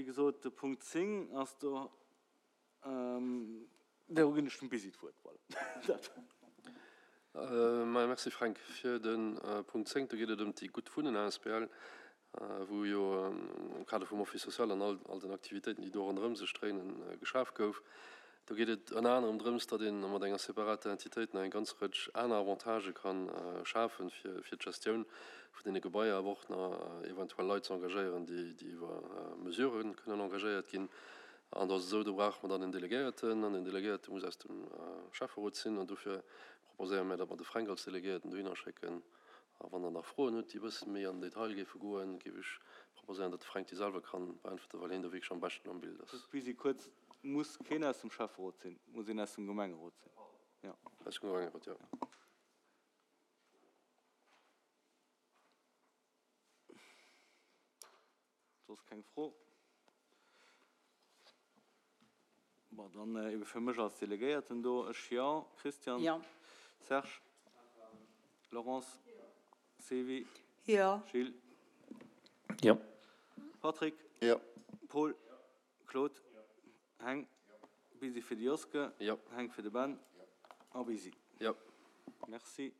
Wéi gesot, de Punkt 10 ass do, do ginn ech dem Busy d'Wuert. Voilà, dat. Maja, merci Fränk. Fir de Punkt 10, do geet et ëm déi Gutt Wunnen asbl, wou jo am Kader vum Office social an all den Aktivitéiten, déi do ronderëm sech dréinen, geschaf gouf. Do geet et ënner anerem drëms, datt ee mat enger separater Entitéit nach eng ganz Rëtsch aner Avantagë ka schafen, fir d'Gestioun vun deene Gebaier, awer och nach eventuell Leit ze engagéieren, déi iwwer Mesurë kënnen engagéiert ginn. An do ass et esou, do brauche mer dann en Delegéierten, an deen Delegéierte muss aus dem Schäfferot sinn. An dofir proposéiere mir, datt mer de Fränk als Delegéierten dohinner schécken. A wann Der nach Froen hutt, déi e bësse méi an den Detail géife goen, géif ech proposéieren, datt de Fränk déi selwer ka beäntwerten, well hien do wierklech am beschten am Bild ass. Just Busy kuerz, Muss keen aus dem Schäfferot sinn, muss een aus dem Gemengerot sinn, jo. Aus dem Gemengerot, jo. Soss keng Fro? Bon, dann ebe fir mech als Delegéierten do, ech jo. Christian? Jo. Serge? Laurence? Sylvie? Jo. Gilles? Jo. Patrick? Jo. Paul? Claude? Heng? Busy fir de Joske? Jo. Heng fir de Ben? A Busy? Jo. Merci.